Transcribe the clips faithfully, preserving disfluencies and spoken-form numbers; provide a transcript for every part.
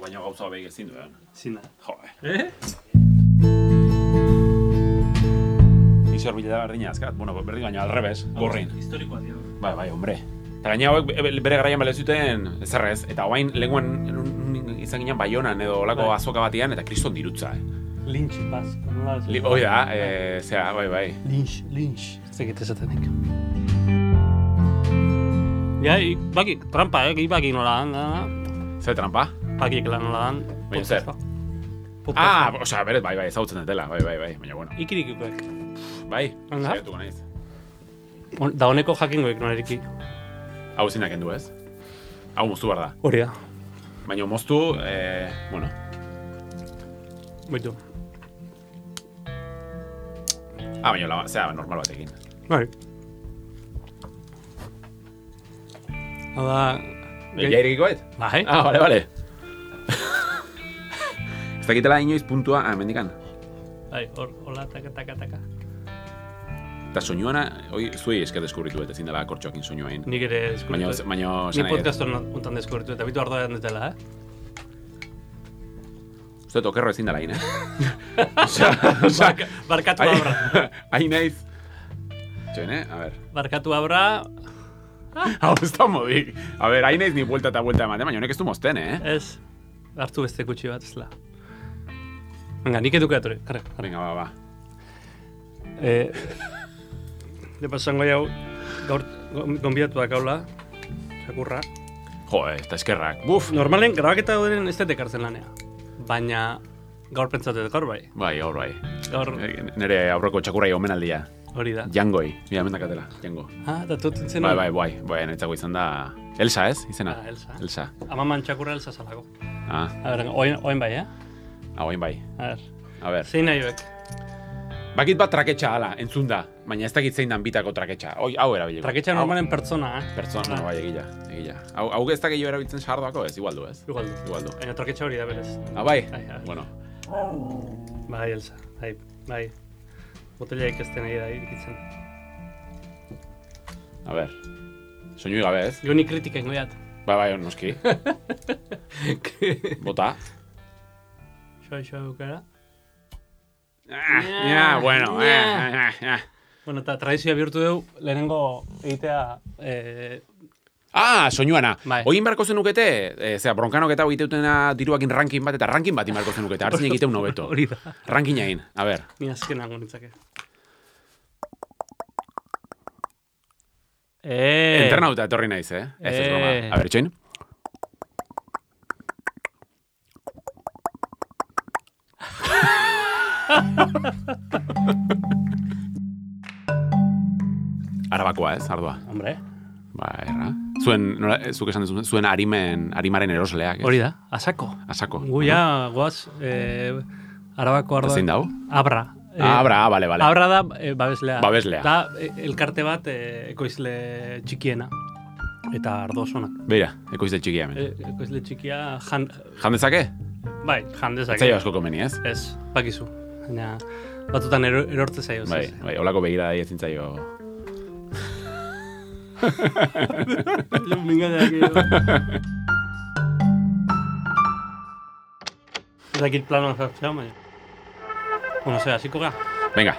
baina gauza behi ezin duen. Zina. Joe. Eh? Izor bileta berdina azkat. Bueno, berdin gaina alrebez, gorrin. Historikoa dio. Bai, bai, hombre. Eta gaina hauek bere garaian bale zuten zerrez. Eta hoain lenguan izan ginen Baionan edo olako azoka batian eta kriston dirutza. Eh. Lynch basko, nola? Hoi da, eh, zera, bai, bai. Lynch, Lynch. Zegite esatenik. Ja, baki, trampa, eh, baki nola dan. Zer trampa? Bakik lan nola dan. Baina zer? Ah, osea, beret, bai, bai, ezagutzen dutela, bai, bai, bai, baina bueno. Ikirikuek. Bai, Anda? zaiatuko naiz. Da honeko jakingoek nola eriki. Hau zinak endu ez? Hau moztu behar da. Hori da. Baina moztu, eh, bueno. Baitu. Ah, baina, la, zera, normal batekin. Bai. Hau da... Ja irikikoet? Bai. Ah, bale, bale. Ez dakitela inoiz puntua, ah, mendikan. Bai, hor, hola, taka, taka, taka. Eta soinuana, hoi, zuei esket deskubritu eta ezin dela kortxoakin soinuain. Nik ere deskubritu. Baina, baina, Ni podcast honetan deskubritu eta bitu ardoa dutela, eh? Uste, okerro ezin dela, hain, eh? Osea, osea... Barkatu abra. Hain naiz... Txoen, eh? A ver. Barkatu abra... Hau, ez da modik. A ver, hain naiz ni vuelta eta vuelta ematen, baina honek ez du mozten, eh? Ez. Hartu beste kutsi bat, ez la. Venga, nik eduke atore. Karre, karre. Venga, ba, ba. Eh... De pasango jau, gaur gonbidatu dakaula, txakurra. Jo, eta eskerrak. Buf! Normalen, grabaketa dauderen ez dut ekartzen lanea. Baina, gaur pentsatu dut, gaur bai. Bai, gaur bai. Gaur, Nere aurreko txakurrai omenaldia. hori da. Jangoi, mira, mendakatela, jango. Ah, eta tutzen zen. Bai, bai, bai, bai, netzako izan da... Elsa, ez? Izena? Ah, Elsa. Elsa. Amaman txakurra Elsa zalako. Ah, A ber, oin, oin bai, eh? hau hain bai. A ber, A ber. zein nahi bek? Bakit bat traketxa ala, entzun da. Baina ez dakit zein dan bitako traketxa. Hoi, hau erabiliko. Traketxa normalen pertsona, eh? Pertsona, no, bai, egila, egila. Hau, hau ez da gehiago erabiltzen sardoako, ez? Igual du, ez? Igual du. Igual du. Baina traketxa hori da berez. Ah, bai? Bai, bai. Bueno. Bai, Elsa, bai, bai. Botella ikesten nahi da irikitzen. A ber. Soinui gabe, ez? Jo ni kritika ingo jat. Bai, bai, noski. Bota. Xoa, xoa bukara. Ah, ja, bueno, eh, eh, eh. Bueno, eta tradizioa bihurtu dugu, lehenengo egitea... Eh, Ah, soinuana. Bai. Oin barko zenukete, e, zera, bronkanok eta egiteutena diruakin ranking bat, eta ranking bat inbarko zenukete, hartzen egiteun nobeto. Hori da. Ranking egin, a ber. Ni azken hango nintzake. Eh. Entrenauta etorri naiz, eh? Ez ez broma. Eh. A ber, txoin. Arabakoa, ez, ardua. Hombre. Ba, erra. Zuen, nola, zuk esan duzun, zuen arimen, arimaren erosleak, ez? Hori da, asako. Asako. Gu ja, goaz, eh, arabako ardoa. Zein dau? Abra. Eh, Ah, abra, ah, bale, bale. Abra da eh, babeslea. Babeslea. Da eh, elkarte bat eh, ekoizle txikiena. Eta ardo osonak. Beira, ekoizle txikia hemen. Eh, ekoizle txikia jan... Jan dezake? Bai, jan dezake. Etzaio asko komeni, ez? Ez, bakizu. Baina batutan ero, erortze zaio. Bai, bai, holako begira da ezin zaio. Jo, mingadeak edo. Zakit planoan jartzea, baina. Bueno, zera, hasiko gara. Venga.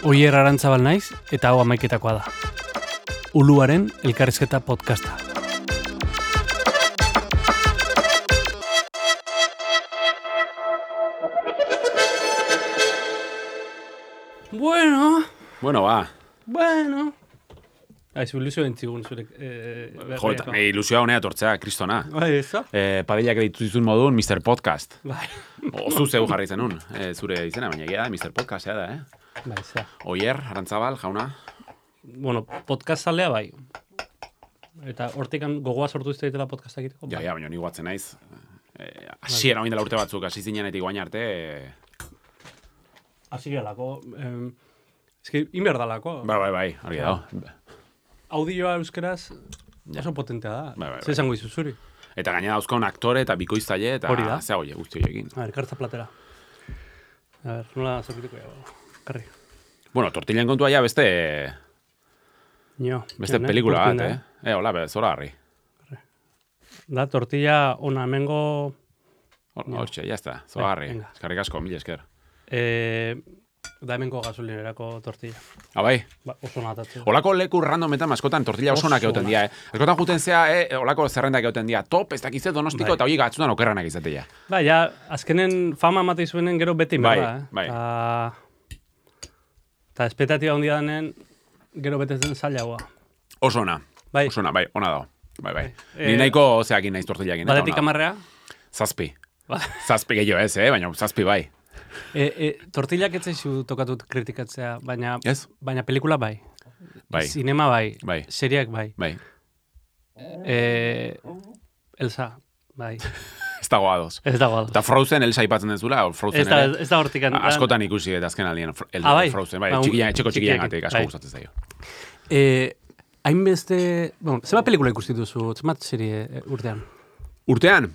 Oier Arantzabal naiz, eta hau amaiketakoa da. Uluaren elkarrizketa podcasta. Bueno, Bueno, ba. bueno. Aizu, ilusio bentzigun zure... Eh, Jo, eta e, ilusioa honea tortzea, kristona. Bai, ez da? Eh, Padillak ditu dizun modun, mister Podcast. Bai. Ozu zeu jarri zenun, eh, zure izena, baina egia da, mister Podcast, ea da, eh? Bai, zera. Oier, Arantzabal, jauna. Bueno, podcast zalea bai. Eta hortikan gogoa sortu izte ditela podcastak egiteko. Ja, ja, baina ni guatzen naiz. Eh, Asiera oin dela urte batzuk, hasi zinenetik guain arte... Eh... Hasi gelako. Eh, ez que, inberdalako. Bai, bai, bai, argi dago. Audioa euskeraz Ja. oso potentea da. Bai, bai, bai. Zer esango izu zuri? Eta gaina dauzkaun aktore eta bikoiztaile eta Hori da. zea hoie guzti horiekin. A ver, kartza platera. A ver, nola zorkituko ya. Karri. Bueno, tortillan kontua ja beste... Nio. Beste ene, pelikula bat, urtin da. eh? E, hola, be, zora harri. Da, tortilla ona hemengo... Hortxe, ya está, zora harri. Eskarrik asko, mil esker. Eh, da hemengo gasolinerako tortilla. Ah, bai? Ba, oso natatzen. Olako leku randometan askotan tortilla oso onak egoten dia, eh? Askotan juten zea, eh, olako zerrendak egoten dia, top, ez dakizet donostiko, eta hori gatzutan okerranak izatea. Ba, ja, azkenen fama matei zuenen gero beti merda, eh? Bai, bai. Eta espetatiba handia denen, gero betetzen zailagoa. Oso ona, bai. Oso ona, bai, ona dago. Bai, bai. bai. Ni nahiko zeakin naiz tortillakin. Batetik amarrea? Zazpi. Zazpi gehiago ez, eh? Baina zazpi bai. E, e, tortillak ez zaizu tokatut kritikatzea, baina, yes? baina pelikula bai. Bai. Sinema bai. Bai. Seriak bai. Bai. E, Elsa, bai. Ez dago adoz. Ez dago adoz. Eta Frozen Elsa ipatzen dezula, Frozen ez da, ere. Ez da hortikan. Askotan ikusi eta azken aldien el, ah, bai? Frozen, bai, ba, txikian, txeko txikian gatik, asko bai. gustatzen zaio. Eh, hainbeste, bueno, zeba pelikula ikusi duzu, zemat serie eh, urtean? Urtean?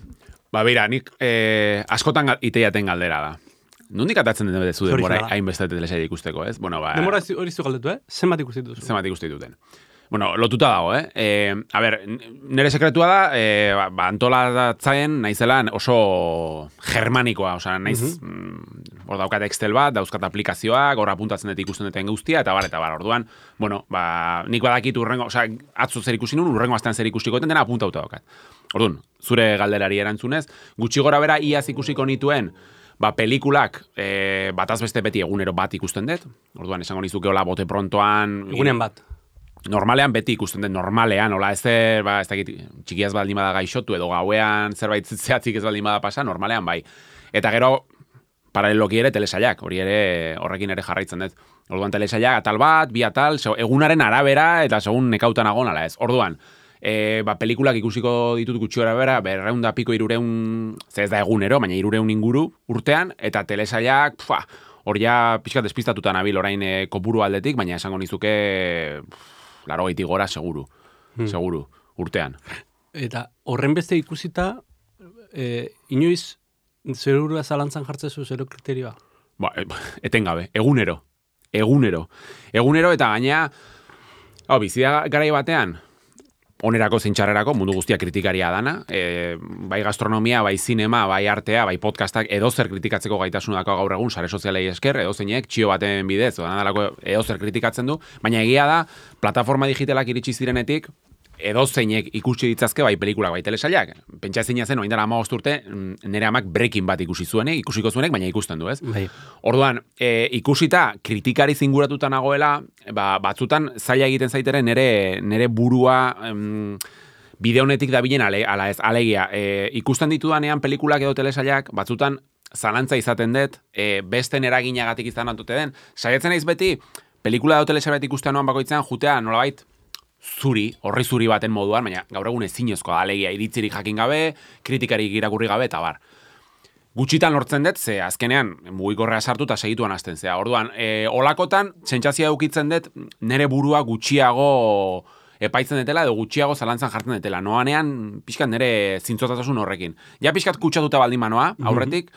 Ba, beira, nik eh, askotan iteiaten galdera da. Nondik atatzen den bedezu denbora hainbeste telesaia ikusteko, ez? Bueno, ba... Denbora hori zu galdetu, eh? Zenbat ikusi duzu? Zenbat ikusti duten. Bueno, lotuta dago, eh? E, a ber, nire sekretua da, e, ba, antolatzaen naizelan oso germanikoa, osea, naiz, uh -huh. mm, hor daukat Excel bat, dauzkat aplikazioak, hor apuntatzen dut ikusten duten guztia, eta bar, eta bar, orduan, bueno, ba, nik badakit urrengo, osea, atzo zer ikusi nun, urrengo astean zer ikusiko duten, dena apuntauta daukat. Orduan, zure galderari erantzunez, gutxi gora bera iaz ikusiko nituen, ba, pelikulak e, bataz beste beti egunero bat ikusten dut, orduan, esango nizuke hola bote prontoan... Egunean bat. Normalean beti ikusten den, normalean, hola, ez der, ba, ez dakit, txikiaz baldin bada gaixotu, edo gauean zerbait zehatzik ez baldin bada pasa, normalean bai. Eta gero, paraleloki ere telesaiak, hori ere, horrekin ere jarraitzen dut. Orduan telesaiak atal bat, bi atal, egunaren arabera, eta segun nekautan agon, ala ez. Orduan, e, ba, pelikulak ikusiko ditut gutxi arabera, berreun da piko irureun, ze ez da egunero, baina irureun inguru urtean, eta telesaiak, pfa, hori ja pixkat despistatuta nabil orain e, kopuru aldetik, baina esango nizuke... Laro gaitik gora, seguru. Hmm. Seguru, urtean. Eta horren beste ikusita, e, inoiz zerurua zalantzan jartzezu zero kriterioa? Ba, etengabe, egunero. Egunero. Egunero eta gaina, hau, bizia garai batean, onerako zeintxarrerako, mundu guztia kritikaria dana, e, bai gastronomia, bai zinema, bai artea, bai podcastak, edozer kritikatzeko gaitasunako gaur egun, sare sozialei esker, edozeinek, txio baten bidez, edozer kritikatzen du, baina egia da, plataforma digitalak iritsi zirenetik, edozeinek ikusi ditzazke, bai pelikulak, bai telesailak. Pentsa ezina zen, oindara hamabost urte, nire amak Breaking Bad ikusi zuenek, ikusiko zuenek, baina ikusten du, ez? Bai. Orduan, e, ikusita, kritikari zinguratuta nagoela, ba, batzutan zaila egiten zaiteren nire, nire burua em, bide honetik dabilen ale, ala ez, alegia. E, ikusten ditudanean pelikulak edo telesailak, batzutan zalantza izaten dut, e, besten eraginagatik izan antute den. Saiatzen naiz beti, pelikula edo telesailak ikusten noan bakoitzean, jutea, nolabait, zuri, horri zuri baten moduan, baina gaur egun ezinezkoa, alegia, iritzirik jakin gabe, kritikarik irakurri gabe, eta bar. Gutxitan lortzen dut, ze azkenean mugikorrea sartu eta segituan hasten zea. Orduan, e, olakotan, sentsazioa edukitzen dut, nere burua gutxiago epaitzen detela, edo gutxiago zalantzan jartzen detela. Noanean, pixkat nere zintzotatasun horrekin. Ja pixkat kutsatuta baldin manoa, aurretik,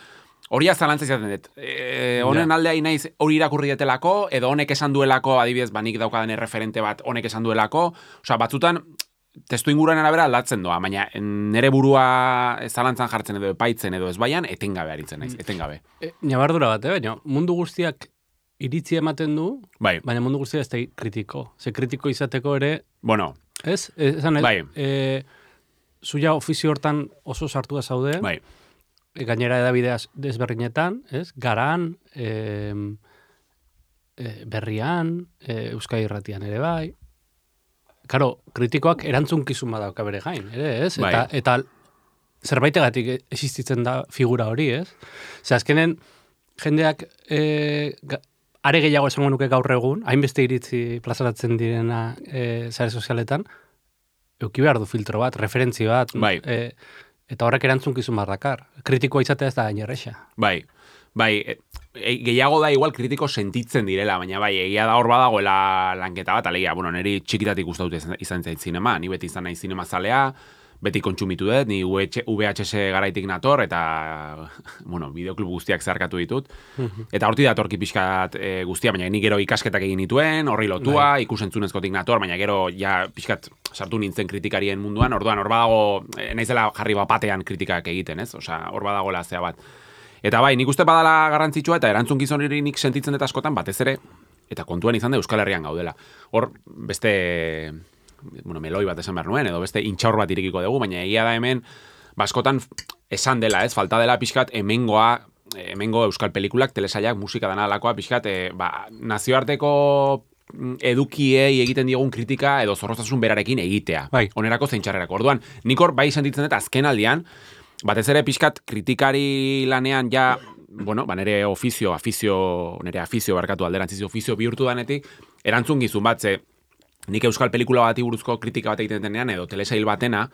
hori azalantza izaten dut. E, honen aldea inaiz hori irakurri detelako, edo honek esan duelako, adibidez, banik daukadan referente bat honek esan duelako. Osea, batzutan, testu inguruan arabera aldatzen doa, baina nere burua zalantzan jartzen edo epaitzen edo ez baian, etengabe aritzen naiz, etengabe. E, Nabardura bat, eh? Baina mundu guztiak iritzi ematen du, bai. Baina mundu guztiak ez da kritiko. Ze kritiko izateko ere... Bueno. Ez? Esan ez? Bai. E, zuia ofizio hortan oso sartua zaude. Bai. Gainera edabideaz desberdinetan, ez? Garan, e, e, berrian, e, Euskadi Irratian ere bai. Karo, kritikoak erantzunkizun badauka bere gain, ere, ez? Bai. Eta, eta zerbaitegatik existitzen da figura hori, ez? Ze azkenen, jendeak e, ga, are gehiago esango nuke gaur egun, hainbeste iritzi plazaratzen direna e, sare sozialetan, euki behar du filtro bat, referentzi bat, bai. e, eta horrek erantzunkizun bardakar. Kritikoa izatea ez da gain erresa. Bai, bai, e, e, gehiago da igual kritiko sentitzen direla, baina bai, egia da hor badagoela lanketa bat, alegia, bueno, niri txikitatik uste dute izan zait zinema, ni beti izan nahi zinema zalea, beti kontsumitu dut, ni V H S garaitik nator, eta, bueno, bideoklub guztiak zeharkatu ditut. Eta horti datorki pixkat e, guztia, baina ni gero ikasketak egin dituen, horri lotua, bai. Ikusentzunezkotik nator, baina gero ja pixkat sartu nintzen kritikarien munduan, orduan hor badago, e, naizela jarri bapatean kritikak egiten, ez? Osea, hor badago lazea bat. Eta bai, nik uste badala garrantzitsua, eta erantzun hori nik sentitzen dut askotan, batez ere, eta kontuan izan da Euskal Herrian gaudela. Hor, beste... bueno, meloi bat esan behar nuen, edo beste intxaur bat irekiko dugu, baina egia da hemen, baskotan esan dela, ez, falta dela pixkat hemengoa, hemengo euskal pelikulak, telesailak, musika dana alakoa, pixkat, e, ba, nazioarteko edukiei egiten diogun kritika edo zorroztasun berarekin egitea. Bai. Onerako zeintxarrerako. Orduan, nik hor bai sentitzen dut azken aldian, batez ere pixkat kritikari lanean ja, bueno, ba, nere ofizio, afizio, nere afizio barkatu alderantziz, ofizio bihurtu danetik, erantzun gizun bat, ze, nik euskal pelikula bati buruzko kritika bat egiten denean, edo telesail batena,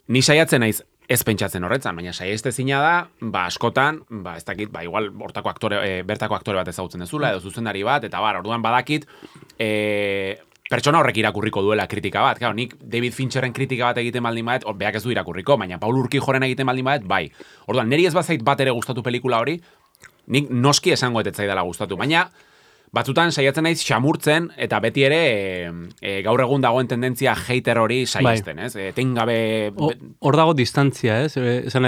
ni saiatzen naiz ez pentsatzen horretzan, baina saieste zina da, ba, askotan, ba, ez dakit, ba, igual hortako aktore, e, bertako aktore bat ezagutzen dezula, edo zuzendari bat, eta bar, orduan badakit, e, pertsona horrek irakurriko duela kritika bat. Claro, nik David Fincherren kritika bat egiten baldin badet, or, beak ez du irakurriko, baina Paul Urquijoren egiten baldin badet, bai. Orduan, neri ez bazait bat ere gustatu pelikula hori, nik noski esango etetzai dela gustatu, baina batzutan saiatzen naiz xamurtzen eta beti ere e, e, gaur egun dagoen tendentzia hater hori saiesten, bai. Ez? E, tengabe... Hor dago distantzia, ez? Esan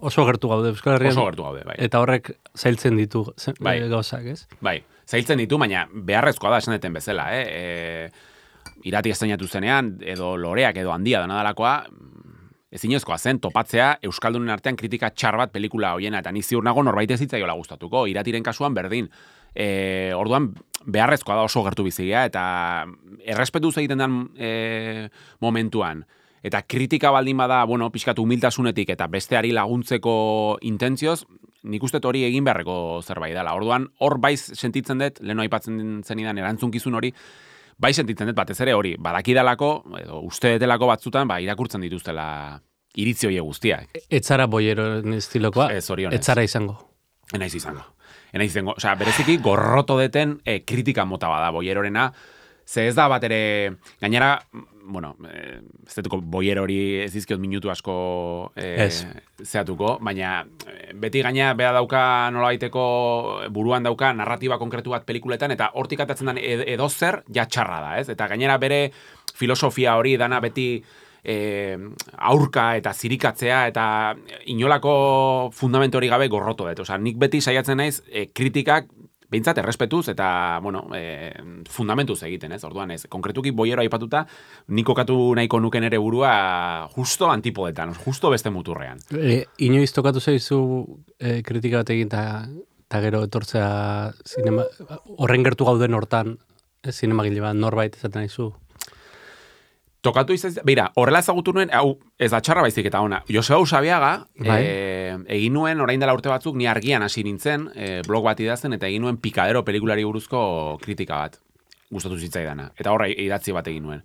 oso gertu gaude Euskal Herrian. Oso gertu gaude, bai. Eta horrek zailtzen ditu bai. Gauzak, ez? Bai, zailtzen ditu, baina beharrezkoa da esan deten bezala, eh? E, irati estrainatu zenean, edo loreak, edo handia da nadalakoa, ezinezkoa zen topatzea Euskaldunen artean kritika txar bat pelikula hoiena, eta ni ziur nago norbait ez zitzaiola gustatuko, iratiren kasuan berdin. E, orduan beharrezkoa da oso gertu bizigia eta errespetuz egiten den e, momentuan eta kritika baldin bada, bueno, pixkat humiltasunetik eta besteari laguntzeko intentzioz, nik uste hori egin beharreko zerbait dela. Orduan hor bai sentitzen dut, leheno aipatzen zenidan erantzunkizun hori, bai sentitzen dut batez ere hori, badakidalako edo uste detelako batzutan, ba, irakurtzen dituztela iritzi horiek guztiak. Etzara boieroen estilokoa, ez orionez. Etzara izango. Enaiz izango. Enaiz izango. Osea, bereziki gorroto deten e, kritika mota bada boierorena, ze ez da bat ere, gainera, bueno, e, ez detuko boier hori ez dizkiot minutu asko e, zehatuko, baina e, beti gaina beha dauka nola baiteko buruan dauka narratiba konkretu bat pelikuletan, eta hortik atatzen den edo zer ja txarra da, ez? Eta gainera bere filosofia hori dana beti E, aurka eta zirikatzea eta inolako fundamentu hori gabe gorroto dut. Osea, nik beti saiatzen naiz e, kritikak behintzat errespetuz eta, bueno, e, fundamentuz egiten, ez? Orduan, ez, konkretuki boiero aipatuta, nik kokatu nahiko nuken ere burua justo antipodetan, justo beste muturrean. E, inoiz tokatu zaizu e, kritika bat egin eta gero etortzea zinema, horren gertu gauden hortan, e, zinemagile bat norbait esaten naizu? Tokatu izan, beira, horrela ezagutu nuen, hau, ez da txarra baizik eta ona, Joseba Usabiaga, bai. e, egin nuen, orain dela urte batzuk, ni argian hasi nintzen, e, blog bat idazten, eta egin nuen Pikadero pelikulari buruzko kritika bat, gustatu zitzaidana, eta horra idatzi bat egin nuen.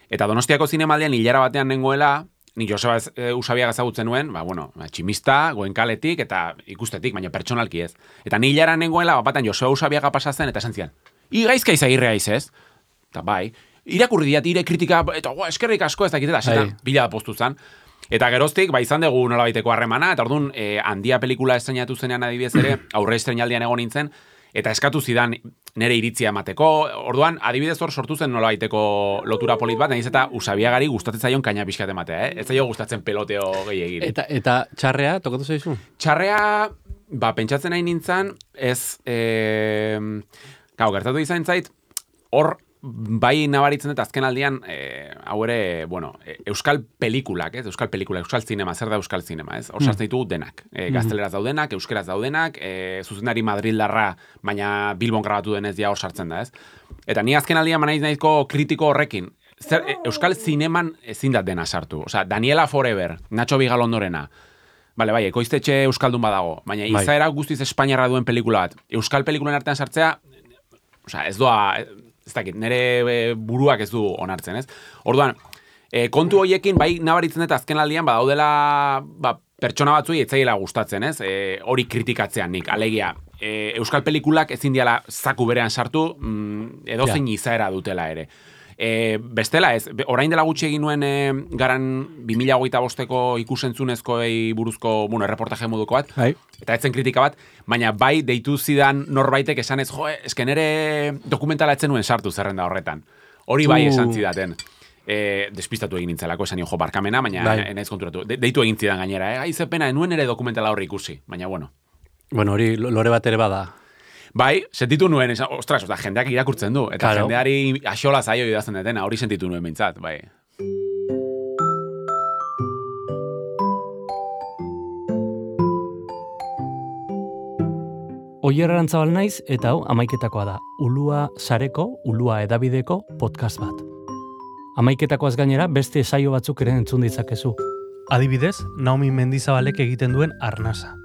Eta Donostiako zinemaldian hilara batean nengoela, ni Joseba Usabiaga ezagutzen nuen, ba, bueno, tximista, goenkaletik, eta ikustetik, baina pertsonalki ez. Eta ni hilara nengoela, bapatan Joseba Usabiaga pasatzen, eta esan zian, igaizka izagirrea izez, eta bai, irakurri diat, ire kritika, eta oh, eskerrik asko ez dakitela, eta bila postu zen. Eta geroztik, ba, izan dugu nolabaiteko harremana, eta orduan, e, handia pelikula estrenatu zenean adibidez ere, aurre estrenaldian egon nintzen, eta eskatu zidan nere iritzia emateko, orduan, adibidez hor sortu zen nolabaiteko lotura polit bat, nahiz eta Usabiagari gustatzen zaion kaina pixkat ematea, eh? Ez zaio gustatzen peloteo gehiagiri. Eta, eta txarrea, tokatu zaizu? Txarrea, ba, pentsatzen nahi nintzen, ez, e, gau, gertatu izan zait, hor, bai nabaritzen dut azken aldian, e, hau ere, bueno, e, euskal pelikulak, ez? Euskal pelikula, euskal zinema, zer da euskal zinema, ez? Hor sartzen ditugu denak. E, gazteleraz daudenak, euskeraz daudenak, e, zuzendari madrildarra, baina Bilbon grabatu denez ja hor sartzen da, ez? Eta ni azken aldian manaiz nahizko kritiko horrekin, zer, e, euskal zineman ezin dat dena sartu. Osea, Daniela Forever, Nacho Bigalondorena, bale, bai, ekoiztetxe euskaldun badago, baina bai. Izaera guztiz espainiarra duen pelikula bat. Euskal pelikulen artean sartzea, osea, ez doa... ez dakit, nire buruak ez du onartzen, ez? Orduan, e, kontu horiekin, bai nabaritzen dut azken aldian, badaudela ba, pertsona batzuei etzaiela gustatzen, ez? E, hori kritikatzean nik, alegia, e, euskal pelikulak ezin diala zaku berean sartu, mm, edozein ja. Izaera dutela ere. E, bestela ez, orain dela gutxi egin nuen e, garan bi mila hogeita bosteko ikusentzunezkoei buruzko, bueno, erreportaje moduko bat, Bai. eta etzen kritika bat, baina bai deitu zidan norbaitek esan ez, jo, esken ere dokumentala etzen nuen sartu zerrenda horretan. Hori bai esan zidaten. E, despistatu egin nintzelako, esan jo barkamena, baina bai. Enaiz konturatu. De, deitu egin zidan gainera, eh? Aizepena, enuen ere dokumentala horri ikusi, baina bueno. Bueno, hori lore bat ere bada. Bai, sentitu nuen, esan, ostras, oza, jendeak irakurtzen du, eta claro. Jendeari axola zaio idazten detena, hori sentitu nuen bintzat, bai. Oier Arantzabal naiz, eta hau amaiketakoa da. Ulua sareko, Ulua edabideko podcast bat. Amaiketakoaz gainera beste saio batzuk ere entzun ditzakezu. Adibidez, Naomi Mendizabalek egiten duen Arnasa.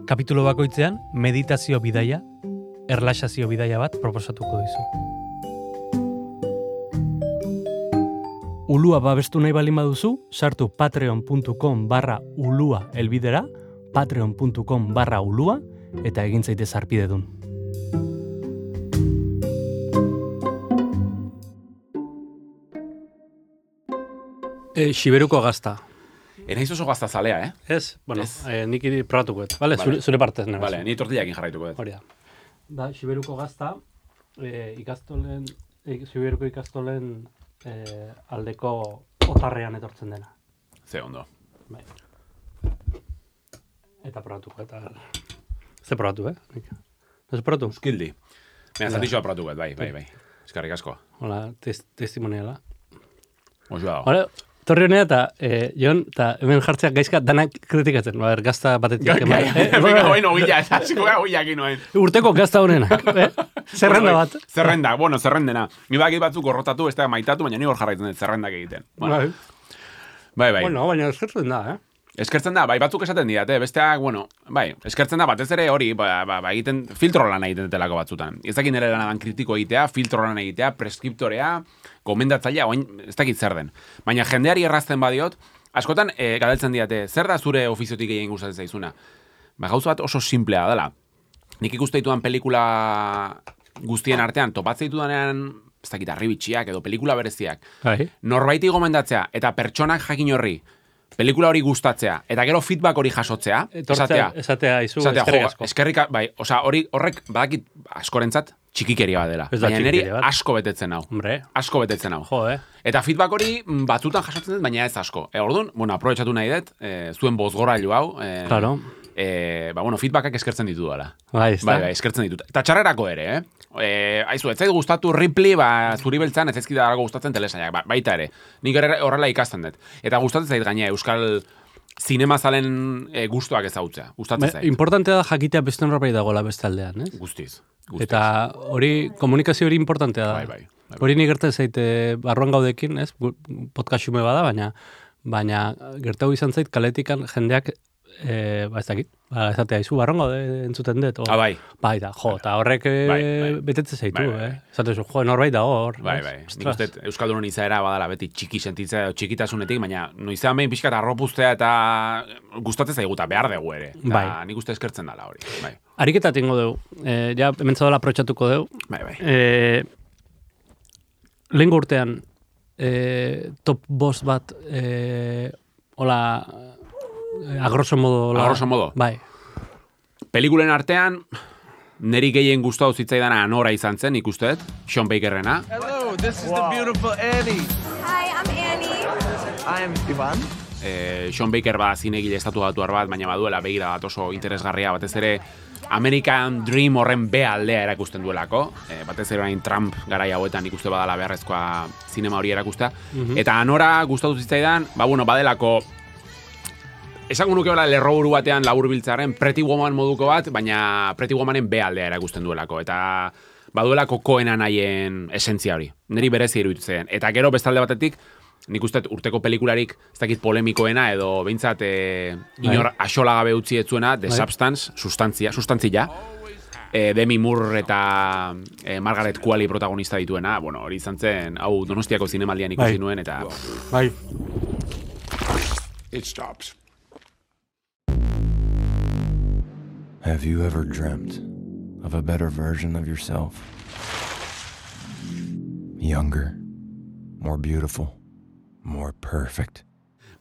Kapitulo bakoitzean meditazio bidaia, erlaxazio bidaia bat proposatuko dizu. Ulua babestu nahi balin baduzu, sartu patreon.com barra ulua elbidera, patreon.com barra ulua, eta egin zaitez arpidedun. E, Xiberuko gazta. Enaiz oso gazta zalea, eh? Ez, bueno, eh, nik iri probatuko et. Vale, vale. Zure, zure partez nena. Vale, ni tortillakin jarraituko et. Hori da. Da, Xiberuko gazta, eh, ikastolen, eh, Xiberuko ikastolen eh, aldeko otarrean etortzen dena. Ze ondo. Bai. Eta probatuko, eta... Ze probatu, eh? Ez probatu? Euskildi. Baina, zatixoa probatuko et, bai, bai, bai. Eskarrik asko. Hola, test, testimoniala. Oso dago. Hora, torri honea eta, eh, Jon, eta hemen jartzeak gaizka danak kritikatzen. Ba, gazta batetik. Ga, ga, eh? Venga, hoin ogila, esasiko ga ogila noen. Urteko gazta honenak, eh? Zerrenda bat. Zerrenda, bueno, zerrendena. Ni bakit batzuk gorrotatu, ez da maitatu, baina ni hor jarraitzen dut zerrendak egiten. Bueno. Bai. Bai, bai. Bueno, baina eskertzen da, eh? Eskertzen da, bai, batzuk esaten didate, besteak, bueno, bai, eskertzen da, batez ere hori, ba, ba, ba egiten, filtro lan egiten delako batzutan. Ez dakit nire lanadan kritiko egitea, filtro lan egitea, preskriptorea, gomendatzailea, oin, ez dakit zer den. Baina jendeari errazten badiot, askotan, e, gadaltzen didate, zer da zure ofiziotik egin gustatzen zaizuna? Ba, gauza bat oso simplea dela. Nik ikuste ditudan pelikula guztien artean, topatzen ditudanean, ez dakit, arribitxiak edo pelikula bereziak. Bai. Norbaiti gomendatzea, eta pertsonak jakin horri, pelikula hori gustatzea, eta gero feedback hori jasotzea, esatea, esatea, izu, esatea, eskerrik jo, asko. eskerrika, bai, oza, hori, horrek, badakit, askorentzat, txikikeria bat dela. Baina niri asko betetzen hau. Hombre. Asko betetzen hau. Jo, eh? Eta feedback hori batzutan jasotzen dut, baina ez asko. E, orduan, bueno, aprobetxatu nahi dut, e, zuen bozgorailu hau, e, claro. E, ba, bueno, feedbackak eskertzen ditu dela. Bai, ez da. Bai, bai, eskertzen ditut. Eta txarrerako ere, eh? E, aizu, ez zait gustatu Ripley, ba, zuri beltzan, ez ezkida dago gustatzen telesaiak, ba, baita ere. Nik horrela ikasten dut. Eta gustatzen zait gaina, Euskal zinema zalen e, gustuak ezautzea. Gustatzen zait. Importantea da jakitea beste norbait dagoela beste aldean, ez? Guztiz. Guztiz. Eta hori, komunikazio hori importantea da. Bai, bai. bai. Hori nik gertzen zaite barruan gaudekin, ez? Podcast xume bada, baina baina gertau izan zait kaletikan jendeak e, ba ez dakit, ba ez atea izu barruan gaude entzuten dut. O, ah, bai. Bai da, jo, eta horrek e, bai, bai. betetze zaitu, bai, bai. eh? Zatezu, jo, norbait da hor. Bai, bai. Nik uste, Euskaldunon izaera badala beti txiki sentitzea edo txikitasunetik, baina noizean behin pixka eta arropuztea eta gustatzen zaigu eta behar dugu ere. Eta bai. Nik uste eskertzen dela hori. Bai. Ariketa tingo dugu. E, ja, hemen zaudela aprotxatuko dugu. Bai, bai. E, Lehenko urtean, e, top bost bat, e, hola, a grosso modo. A grosso modo? Bai. Pelikulen artean, neri gehien gustatu zitzaidana Anora izan zen, ikustet, Sean Bakerrena. Hello, this is wow. the beautiful Annie. Hi, I'm Annie. I'm Ivan. Eh, Sean Baker ba zinegile estatu batuar bat, baina baduela begira bat oso interesgarria, batez ere American Dream horren B aldea erakusten duelako, e, batez ere orain Trump garai hauetan ikuste badala beharrezkoa zinema hori erakustea. Mm-hmm. Eta Anora gustatu zitzaidan, ba bueno, badelako esango nuke bera lerroburu batean laburbiltzaren Pretty Woman moduko bat, baina Pretty Womanen B aldea erakusten duelako, eta baduelako Coena nahien esentzia hori. Neri berezi iruditzen. Eta gero bestalde batetik, nik uste urteko pelikularik ez dakit polemikoena edo behintzat e, inor axola gabe utzi etzuena The Substance, sustantzia, sustantzia. E, Demi Moore eta e, Margaret Qualley protagonista dituena, bueno, hori izan zen, hau Donostiako zinemaldian ikusi nuen, eta... Bai. It stops. Have you ever dreamt of a better version of yourself? Younger, more beautiful, more perfect.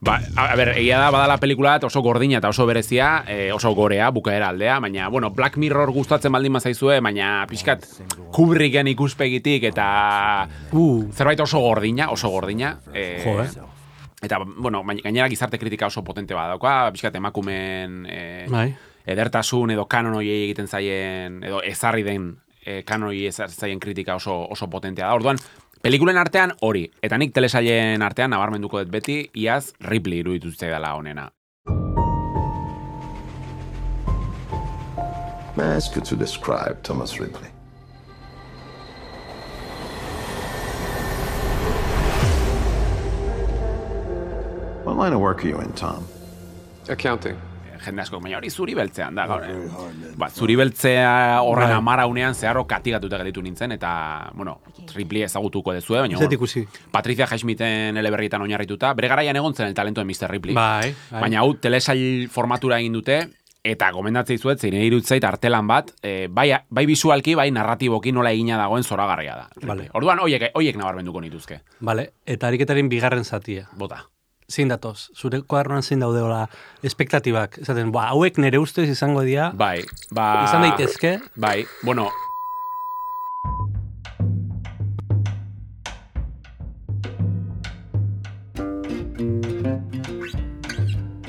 Ba, a, a ber, egia da badala pelikula bat oso gordina eta oso berezia, e, oso gorea, bukaera aldea, baina, bueno, Black Mirror gustatzen baldin bazaizue, baina pixkat Kubricken ikuspegitik eta Uh. zerbait oso gordina, oso gordina. E, Jo, eh? Eta, bueno, gainera gizarte kritika oso potente badauka, pixkat emakumeen e, Bai. edertasun edo kanon hoiei egiten zaien, edo ezarri den e, kanon hoiei ezarri zaien kritika oso, oso potentea da. Orduan, pelikulen artean hori, eta nik telesailen artean nabarmenduko dut beti, iaz Ripley iruditu dela honena. May I ask you to describe Thomas Ripley? What line of work are you in, Tom? Accounting. Jende asko, baina hori zuri beltzean da, gaur. Ba, zuri beltzea horren amara unean zeharro katigatuta gelitu nintzen, eta, bueno, Ripley ezagutuko dezue, baina, Zet ikusi. Patricia Highsmithen eleberrietan oinarrituta, bere garaian egon zen el talento de mister Ripley. Bai, bai. Baina hau telesail formatura egin dute, eta gomendatzei zuet, zein irutzait artelan bat, e, bai, bai visualki, bai narratiboki nola egina dagoen zoragarria da. Vale. Orduan, hoiek, hoiek nabarmenduko nituzke. Vale, eta ariketaren bigarren zatia. Bota. Zein datoz? Zure kuadernoan zein daudeola espektatibak? Esaten, ba, hauek nere ustez izango dira. Bai, ba... Izan daitezke. Bai, bueno...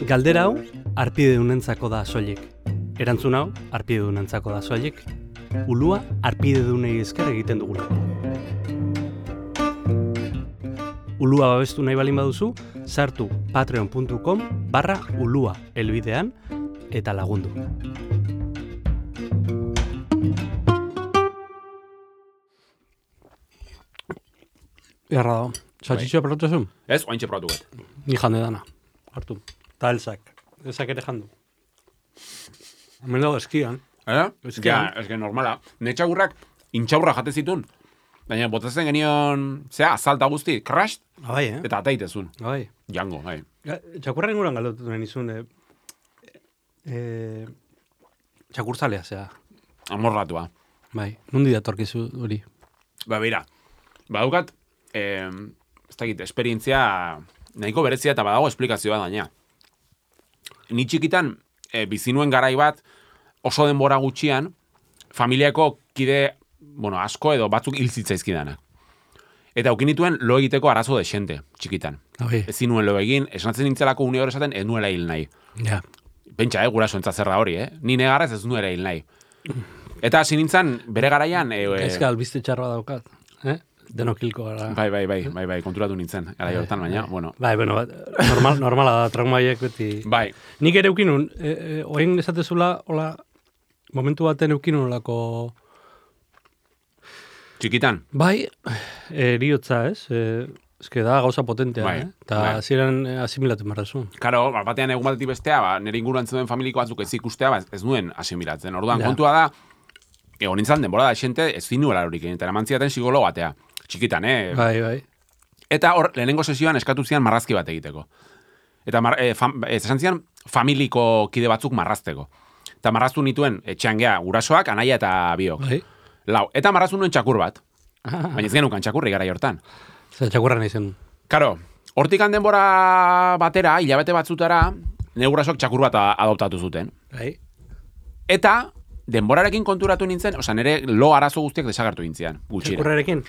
Galdera hau, arpidedunentzako da soilik. Erantzun hau, arpidedunentzako da soilik. Ulua, arpidedunei esker egiten dugula. Ulua babestu nahi balin baduzu, sartu patreon puntu com barra ulua elbidean eta lagundu. Erra dago. Salchichoa probatu zuen? Ez, oaintxe probatu bet. Ni jande dana. Hartu. Ta elzak. Elzak ere jandu. Hemen dago eskian. Eh? Eskian. Ja, eske normala. Netxagurrak intxaurra jate zitun. Baina botatzen genion, zea, azalta guzti, crashed, Bai, eh? eta ateitezun. Bai. Jango, bai. Txakurra inguran galdotu nahi nizun, eh, eh, txakurzalea, zea. Amorratua. Bai, nundi datorkizu hori. Ba, beira, badukat, eh, ez dakit, esperientzia nahiko berezia eta badago esplikazioa daina. Ni txikitan, eh, bizinuen garai bat, oso denbora gutxian, familiako kide, bueno, asko edo batzuk hil zitzaizkidanak. Eta aukinituen lo egiteko arazo desente, txikitan. Bai. Ezin nuen lo egin, esnatzen nintzelako une hor esaten, ez nuela hil nahi. Ja. Pentsa, eh, guraso entza zer da hori, eh? Ni negarrez ez nuela hil nahi. Eta hasi nintzen, bere garaian... E, e, Ez albiste txarra daukat, eh? Denokilko gara. Bai, bai, bai, bai, bai, konturatu nintzen, gara hortan, baina, bueno. Bai, bueno, bat, normal, normala da, traumaiek beti. Bai. Nik ere eukinun, e, e, oain esatezula, hola, momentu baten eukinun lako... Txikitan? Bai, eriotza, ez? E, eske da gauza potentea, Bai, eh? Eta bai. hasieran eh, asimilatu marrazu. Karo, batean egun batetik bestea, ba, nire inguruan zeuden familiko batzuk ez ikustea, ba, ez nuen asimilatzen. Orduan, Ja. kontua da, egon nintzen denbora da esente, ez zinuela horik egin, eta eraman zidaten psikologo batea. Txikitan, eh? Bai, bai. Eta hor, lehenengo sesioan eskatu zian marrazki bat egiteko. Eta mar, e, fam, ez esan zian familiko kide batzuk marrazteko. Eta marraztu nituen etxean gea gurasoak, anaia eta biok. Bai. Lau, eta marraztu nuen txakur bat. Baina ez genukan txakurri gara hortan. Zer txakurra nahi zen. Karo, hortik denbora batera, hilabete batzutara, nire gurasoak txakur bat a- adoptatu zuten. Bai. Eta denborarekin konturatu nintzen, osea, nire lo arazo guztiak desagertu nintzian, gutxira. Txakurrarekin.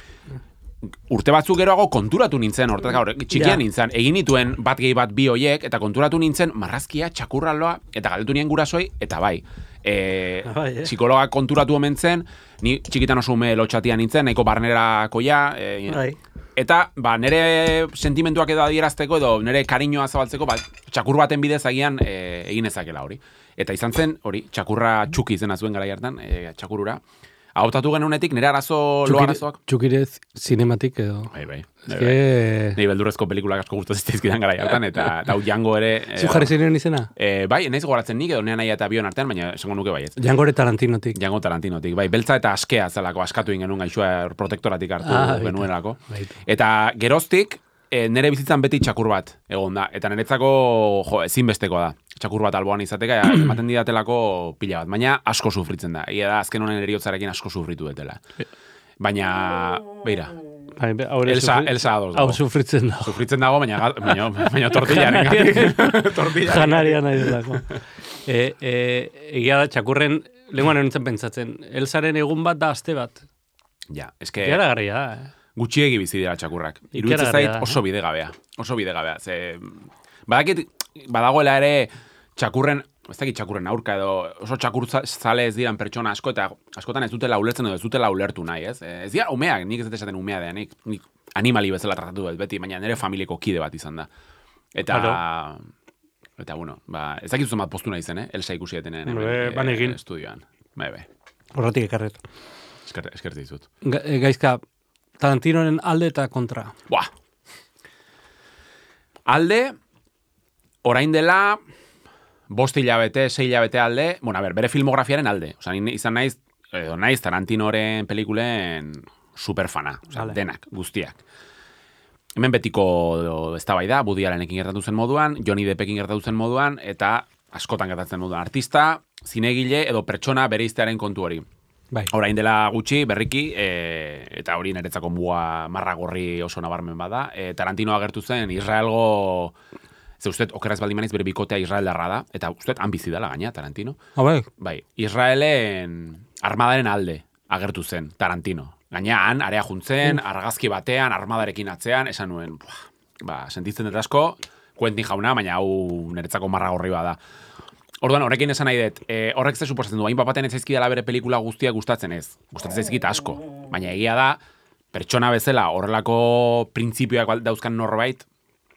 Urte batzuk geroago konturatu nintzen, hortaz gaur, txikian Ja. nintzen, egin nituen bat gehi bat bi hoiek, eta konturatu nintzen marrazkia, txakurraloa, eta galdetu nien gurasoi, eta bai. E, Bai, eh? psikologa konturatu omen zen, ni txikitan oso ume lotxatia nintzen, nahiko barnerakoia, e, Bai. eta ba, nire sentimentuak edo adierazteko edo nire kariñoa zabaltzeko, ba, txakur baten bidez agian e, egin ezakela hori. Eta izan zen, hori, txakurra txuki izena zuen gara hartan, e, txakurura. Adoptatu genunetik nire arazo, lo arazoak. Txukire zinematik edo. Bai, bai. Ez que... Nei beldurrezko pelikulak asko gustatzen zitzaizkidan gara hartan, eta eta hau Django ere... e, Zu jarri ziren izena? E, bai, naiz gogoratzen nik, edo nea nahi eta bion artean, baina esango nuke baietz. Django Tarantinotik. Django Tarantinotik, bai, beltza eta askea zelako, askatu egin genuen gaixua protektoratik hartu Ah, baita. genuenelako. Baita. Eta geroztik, e, nire bizitzan beti txakur bat egon da, eta niretzako jo, ezinbesteko da. Txakur bat alboan izateka, ematen didatelako pila bat, baina asko sufritzen da. Ia da, azken honen eriotzarekin asko sufritu detela. Baina, beira, Bai, haure Elsa, sufri- Elsa ados Hau dago. sufritzen dago. Sufritzen dago, baina, ga- baina, baina tortillaren gatik. Tortillaren Janaria nahi delako. E, e, egia da, txakurren, lenguan nintzen pentsatzen, Elsaren egun bat da aste bat. Ja, eske... Gara garria da, eh? Gutxiegi bizi dira txakurrak. Iruditzen Ikaragarria zait da, oso bidegabea. Oso bidegabea. Ze, badakit, badagoela ere txakurren, ez dakit txakurren aurka edo oso txakurzale ez diran pertsona asko eta askotan ez dutela ulertzen edo ez dutela ulertu nahi, ez? Ez dira umeak, nik ez dut esaten umea da, nik, nik animali bezala tratatu dut beti, baina nire familiako kide bat izan da. Eta... Claro. Eta, bueno, ba, ez dakit zuzen bat postu nahi zen, eh? Elsa ikusi etenen Bueno, be, banekin. estudioan. Bai, bai. Horratik ekarret. Esker, eskertu dizut. Ga, e, gaizka, Tarantiноren alde eta kontra. Buah. Alde, orain dela, bost hilabete, sei hilabete alde, bueno, a ber, bere filmografiaren alde. Osa, ni izan naiz, edo naiz Tarantinoren pelikulen superfana. Osa, Vale. denak, guztiak. Hemen betiko eztabaida, Woody Allenekin gertatu zen moduan, Johnny Deppekin gertatu zen moduan, eta askotan gertatzen moduan. Artista, zinegile edo pertsona bereiztearen kontu hori. Bai. Orain dela gutxi, berriki, e, eta hori niretzako muga marra gorri oso nabarmen bada, e, Tarantino agertu zen Israelgo, ze uste, okerraz baldin manaiz bere bikotea Israeldarra da, eta uste, han bizi dela gaina, Tarantino. Ah, bai. Bai, Israelen armadaren alde agertu zen Tarantino. Gaina han, area juntzen, argazki batean, armadarekin atzean, esan nuen, buah, ba, sentitzen dut asko, Quentin jauna, baina hau niretzako marra gorri bada. Orduan, horrekin esan nahi dut, e, horrek ze suposatzen du, hain bapaten ez zaizkidala bere pelikula guztiak gustatzen ez. Gustatzen zaizkit asko. Baina egia da, pertsona bezala horrelako printzipioak dauzkan norbait,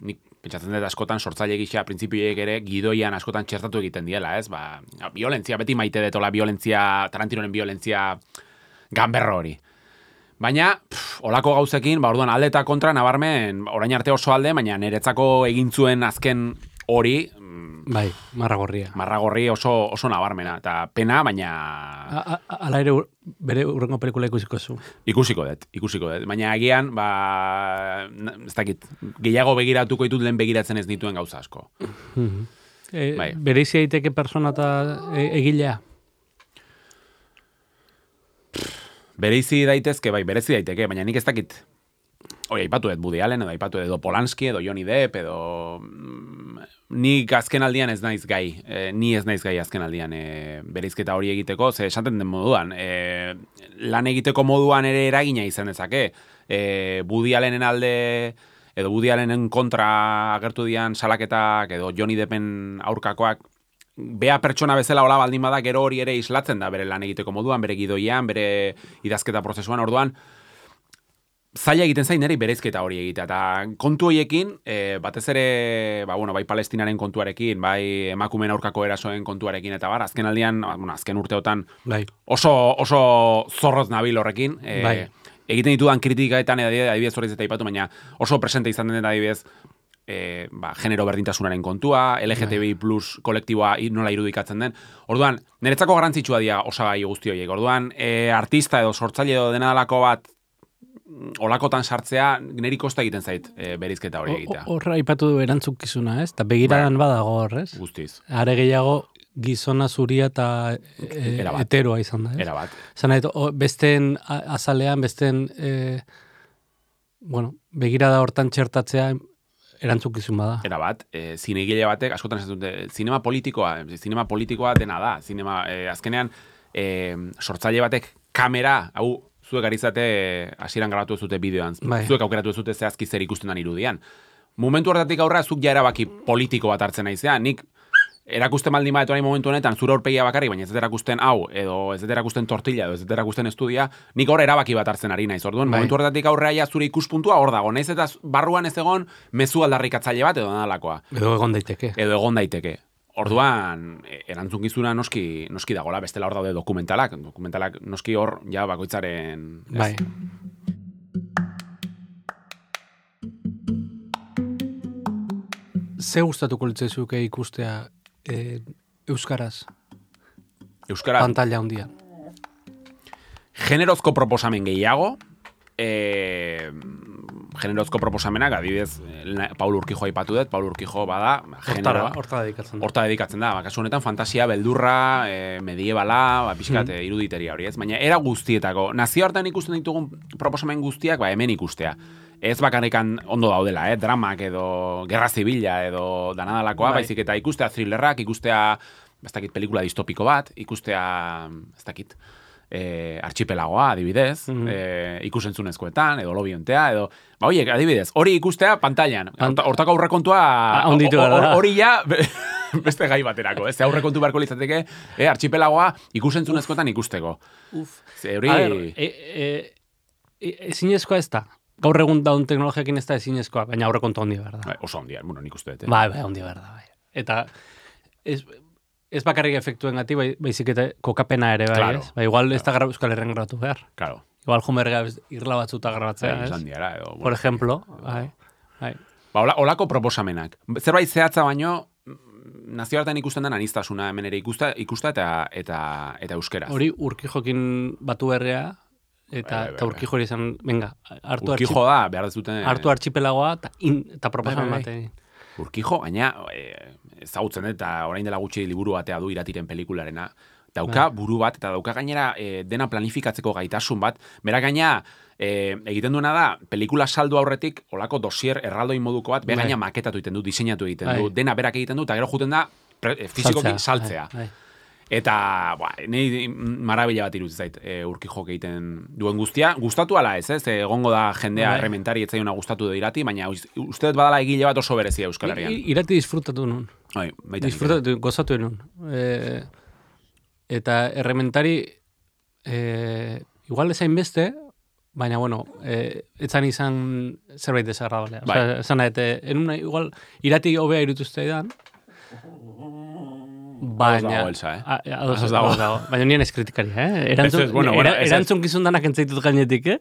nik pentsatzen dut askotan sortzaile gisa printzipioek ere gidoian askotan txertatu egiten diela, ez? Ba, violentzia, beti maite detola violentzia, Tarantinoren violentzia ganberro hori. Baina, pff, olako gauzekin, ba, orduan alde eta kontra nabarmen, orain arte oso alde, baina niretzako egin zuen azken hori, Bai, marragorria. marragorri oso, oso nabarmena, eta pena, baina A- a- Ala ere ur- bere urrengo pelikula ikusiko zu. ikusiko dut, ikusiko dut. Baina agian, ba, na- ez dakit, gehiago begiratuko ditut lehen begiratzen ez dituen gauza asko. E, Bai. Bereizi daiteke persona eta e, egilea. Bereizi daitezke, bai, berezi daiteke, baina nik ez dakit, hori, aipatu dut Woody Allen, edo aipatu dut edo Polanski, edo Johnny Depp, edo... mm, nik azken aldian ez naiz gai, e, ni ez naiz gai azken aldian e, bereizketa hori egiteko, ze esaten den moduan, e, lan egiteko moduan ere eragina izan dezake, e, Woody Allenen alde, edo Woody Allenen kontra agertu dian salaketak, edo Johnny Deppen aurkakoak, bea pertsona bezala hola baldin bada, gero hori ere islatzen da bere lan egiteko moduan, bere gidoian, bere idazketa prozesuan, orduan, zaila egiten zain niri bereizketa hori egitea, eta kontu horiekin, e, batez ere, ba, bueno, bai Palestinaren kontuarekin, bai emakumeen aurkako erasoen kontuarekin, eta bar, azken aldian, bueno, azken urteotan, Bai. oso, oso zorroz nabil horrekin, e, Bai. egiten ditudan kritikaetan, adibidez hori zeta ipatu, baina oso presente izan den adibidez, e, ba, genero berdintasunaren kontua, L G T B I plus kolektiboa nola irudikatzen den. Orduan, niretzako garrantzitsua dira osagai guzti horiek. Orduan, e, artista edo sortzaile edo dena dalako bat olakotan sartzea, niri kosta egiten zait e, berizketa hori egitea. Horra aipatu du erantzukizuna, ez? Ta begiradan badago hor, ez? Guztiz. Are gehiago gizona zuria eta e, Erabat. heteroa izan da, ez? Era bat. Zan nahi, o- besteen a- azalean, besteen e, bueno, begirada hortan txertatzea erantzukizun bada. Era bat, e, zinegile batek, askotan ez dute, zinema politikoa, zinema politikoa dena da, zinema, e, azkenean, e, sortzaile batek kamera, hau, zuek arizate hasieran grabatu ez dute bideoan, Bai. zuek aukeratu ez dute zehazki zer ikusten dan irudian. Momentu horretatik aurra, zuk ja erabaki politiko bat hartzen naizean, nik erakusten baldin bat orain momentu honetan zure aurpegia bakarrik, baina ez dut erakusten hau, edo ez dut erakusten tortilla, edo ez dut erakusten estudia, nik hor erabaki bat hartzen ari naiz. Orduan, Bai. momentu horretatik aurrea ja zure ikuspuntua hor dago, naiz eta barruan ez egon mezu aldarrikatzaile bat edo nadalakoa. Edo egon daiteke. Edo egon daiteke. Orduan, e, erantzukizuna noski, noski dagola, bestela hor daude dokumentalak, dokumentalak noski hor, ja, bakoitzaren... ez? Bai. Ze gustatuko litzaizuke ikustea e, euskaraz, Euskara, pantalla handian? generozko proposamen gehiago, e, generozko proposamenak, adibidez, Paul Urquijo aipatu dut, Paul Urquijo bada, generoa. Horta dedikatzen da. Horta dedikatzen da, ba, kasu honetan fantasia, beldurra, e, mediebala, ba, pixkat, mm. iruditeria hori, ez? Baina era guztietako, nazioartean ikusten ditugun proposamen guztiak, ba, hemen ikustea. Ez bakarrikan ondo daudela, eh? Dramak edo gerra zibila edo danadalakoa, bai. Baizik eta ikustea thrillerrak, ikustea, ez dakit, pelikula distopiko bat, ikustea, ez dakit, E, archipelagoa, adibidez, mm -hmm. e, ikusentzunezkoetan, edo lobiontea, edo, ba, oiek, adibidez, hori ikustea pantailan, hortako aurrekontua, hori ja, beste gai baterako, ez, aurrekontu beharko litzateke, e, archipelagoa ikusentzunezkoetan ikusteko. Uf. Ze, hori... E, e, e, ezinezkoa ez da, gaur egun daun teknologiakin ez da ezinezkoa, baina aurrekontu handia behar da. Bai, oso handia, bueno, nik uste dut. Bai, bai, handia behar da, bai. Eta, ez... Ez bakarrik efektuen gati, bai, baizik eta kokapena ere, bai, claro, ez? Ba, igual claro. Ez da Euskal Herren grabatu behar. Claro. Igual jumerga irla batzuta grabatzea, bai, ez? Diara, edo, bueno, por ejemplo, bai, bai. Ba, hola, holako proposamenak. Zerbait zehatza baino, nazioartean ikusten den anistasuna hemen ere ikusta, ikusta eta, eta, eta euskeraz. Hori Urquijokin batu berrea, eta, bai, bai, eta Urquijo hori izan, venga, hartu Urquijo da, behar dezuten... Hartu archipelagoa eta, eta proposamen bai, bai, bai. Urquijo, gaina, e, ezagutzen dut, eta orain dela gutxi liburu batea du iratiren pelikularena, dauka bai. Buru bat, eta dauka gainera e, dena planifikatzeko gaitasun bat, bera gaina e, egiten duena da, pelikula saldu aurretik, olako dosier erraldoi moduko bat, bera gaina maketatu egiten du, diseinatu egiten bai. Du, dena berak egiten du, eta gero juten da, pre, fizikoki saltzea. Bai, bai. Eta, ba, nahi marabila bat iruditzen zait, e, Urquijo egiten duen guztia. Gustatu ala ez, ez? Egongo da jendea errementari etzaiona gustatu da irati, baina uste dut badala egile bat oso berezia Euskal Herrian. I, irati disfrutatu nun. Ai, disfrutatu, gozatu nun. E, eta errementari, e, igual ezain beste, baina, bueno, e, etzan izan zerbait desagrabalea. Bai. Osa, esan nahi, enuna, igual, irati hobea irutuzte edan, baina, Elsa, eh? Ados dago, dago. Baina nien ez kritikaria, eh? Erantzun, es, bueno, bueno, era, erantzun gizun danak entzaitut gainetik, eh?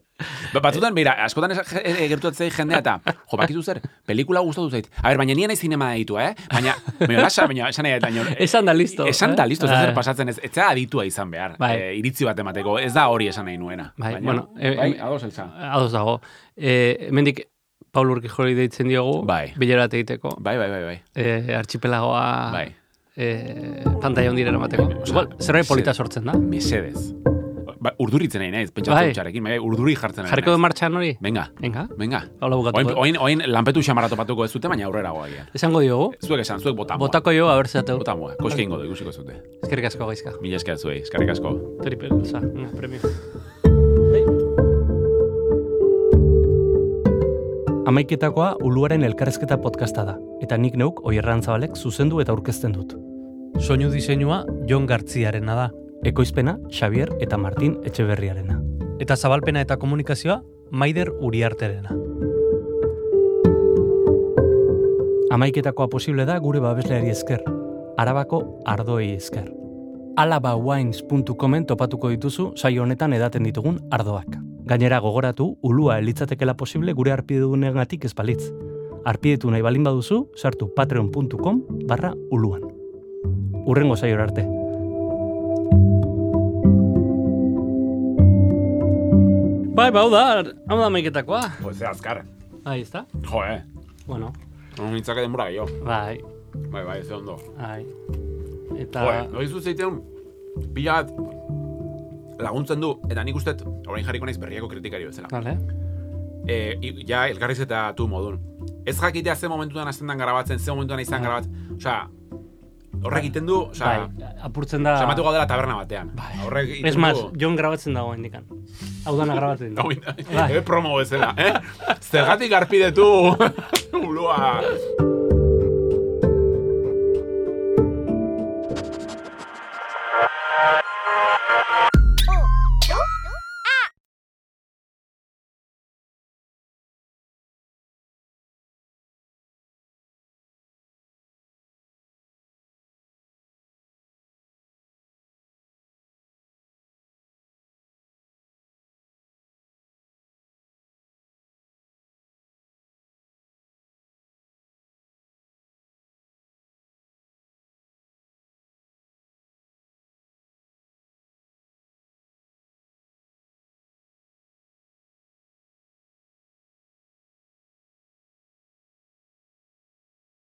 Ba, batzutan, mira, askotan gertutatzei jendea eta, jo, bakizu zer, pelikula gustatu zait. A ber, baina nien ez zinema ditu, eh? Baina, baina, lasa, baina, esan nahi, baina... Esan da listo. Esan da listo, ez zer pasatzen ez, ez aditua izan behar. Bai. E, iritzi bat emateko, ez da hori esan nahi nuena. Bai, baina, bueno, e, bai, ados elza. Ados dago. E, mendik, Paul Urquijo hori deitzen diogu, bai. Bilera bat egiteko. Bai, bai, bai, bai. E, archipelagoa... Bai. Eh, pantalla ondira eramateko. Igual, zerbait polita sortzen da. Mesedez. Ba, urduritzen nahi naiz, pentsatu bai. Txarekin, bai, urduri jartzen nahi. Jarriko du martxan hori? Venga. Venga. Venga. Hola bukatuko. Oin, oin, oin lanpetu xamarrato patuko ez dute, baina aurrera goa. Esango diogu? Zuek esan, zuek botamoa. Botako jo, haber zeateu. Botamoa, koske ingo du, ikusiko zute. Eskerrik asko gaizka. Mila esker zuei, eskerrik asko. Triple, oza, una premio. Amaiketakoa Uluaren elkarrezketa podcasta da, eta nik neuk Oierran Zabalek zuzendu eta aurkezten dut. Soinu diseinua Jon Gartziarena da. Ekoizpena Xavier eta Martin Etxeberriarena. Eta zabalpena eta komunikazioa Maider Uriarterena. Amaiketakoa posible da gure babesleari esker, Arabako ardoei esker. alabawines puntu comen topatuko dituzu saio honetan edaten ditugun ardoak. Gainera gogoratu, ulua elitzatekela posible gure arpidunengatik ez balitz. Arpidetu nahi balin baduzu, sartu patreon puntu com barra uluan. Urrengo saiora arte. Bai, bau da, hau da maiketakoa. Pues azkar. Ahí está. Jo, eh. Bueno. Un hitzake denbora gehiago. Bai. Bai, bai, ez ondo. Bai. Eta... Jo, eh, noizu zeiteun, pila bat laguntzen du, eta nik ustet, orain jarriko naiz berriako kritikari bezala. Vale. E, ja, elkarriz eta tu modun. Ez jakitea ze momentuan hasten grabatzen, ze momentuan izan grabatzen. Osea, horrek egiten du, osea, bai, apurtzen da... Osea, matu gaudela taberna batean. Bai. Horrek egiten es du... más, Jon grabatzen dago indikan. Hau dana grabatzen dago. Bai. Promo bezala, eh? Zergatik arpidetu, ulua...